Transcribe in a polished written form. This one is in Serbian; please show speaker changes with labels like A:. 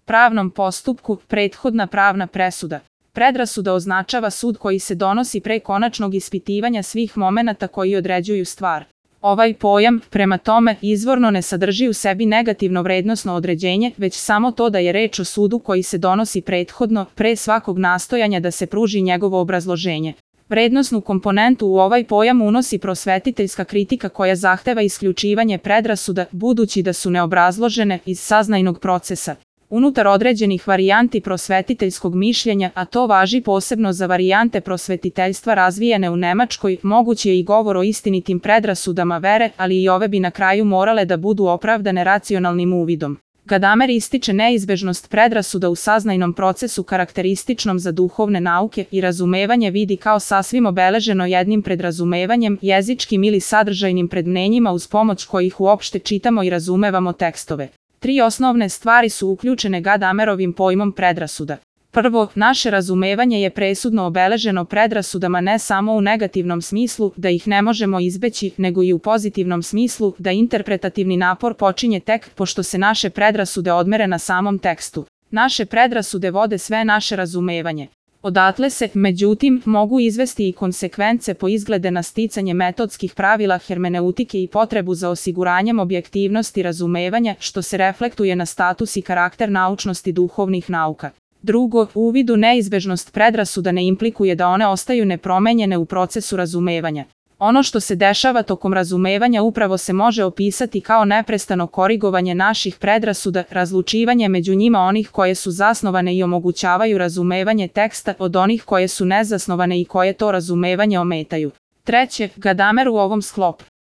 A: pravnom postupku, prethodna pravna presuda. Predrasuda označava sud koji se donosi pre konačnog ispitivanja svih momenata koji određuju stvar. Ovaj pojam, prema tome, izvorno ne sadrži u sebi negativno vrednosno određenje, već samo to da je reč o sudu koji se donosi prethodno, pre svakog nastojanja da se pruži njegovo obrazloženje. Vrednosnu komponentu u ovaj pojam unosi prosvetiteljska kritika koja zahteva isključivanje predrasuda, budući da su neobrazložene, iz saznajnog procesa. Unutar određenih varijanti prosvetiteljskog mišljenja, a to važi posebno za varijante prosvetiteljstva razvijene u Nemačkoj, moguć je i govor o istinitim predrasudama vere, ali i ove bi na kraju morale da budu opravdane racionalnim uvidom. Gadamer ističe neizbežnost predrasuda u saznajnom procesu karakterističnom za duhovne nauke i razumevanje vidi kao sasvim obeleženo jednim predrazumevanjem, jezičkim ili sadržajnim predmnenjima uz pomoć kojih uopšte čitamo i razumevamo tekstove. Tri osnovne stvari su uključene Gadamerovim pojmom predrasuda. Prvo, naše razumevanje je presudno obeleženo predrasudama ne samo u negativnom smislu, da ih ne možemo izbeći, nego i u pozitivnom smislu, da interpretativni napor počinje tek pošto se naše predrasude odmere na samom tekstu. Naše predrasude vode sve naše razumevanje. Odatle se, međutim, mogu izvesti i konsekvence po izglede na sticanje metodskih pravila hermeneutike i potrebu za osiguranjem objektivnosti razumevanja, što se reflektuje na status i karakter naučnosti duhovnih nauka. Drugo, u uvidu neizbežnost predrasuda ne implikuje da one ostaju nepromenjene u procesu razumevanja. Ono što se dešava tokom razumevanja upravo se može opisati kao neprestano korigovanje naših predrasuda, razlučivanje među njima onih koje su zasnovane i omogućavaju razumevanje teksta od onih koje su nezasnovane i koje to razumevanje ometaju. Treće, Gadamer u ovom sklopu